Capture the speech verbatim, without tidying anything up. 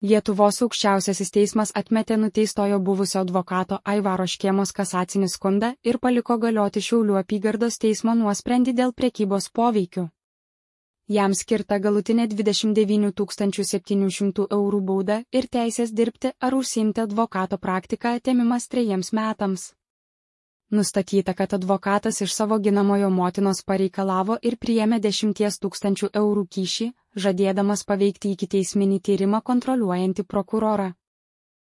Lietuvos aukščiausiasis teismas atmetė nuteistojo buvusio advokato Aivaro Škėmos kasacinį skundą ir paliko galioti Šiaulių apygardos teismo nuosprendį dėl prekybos poveikiu. Jam skirta galutinė dvidešimt devynių tūkstančių septynių šimtų eurų bauda ir teisės dirbti ar užsiimti advokato praktiką atėmimas trejiems metams. Nustatyta, kad advokatas iš savo ginamojo motinos pareikalavo ir priėmė dešimties tūkstančių eurų kyšį, žadėdamas paveikti ikiteisminį tyrimą kontroliuojantį prokurorą.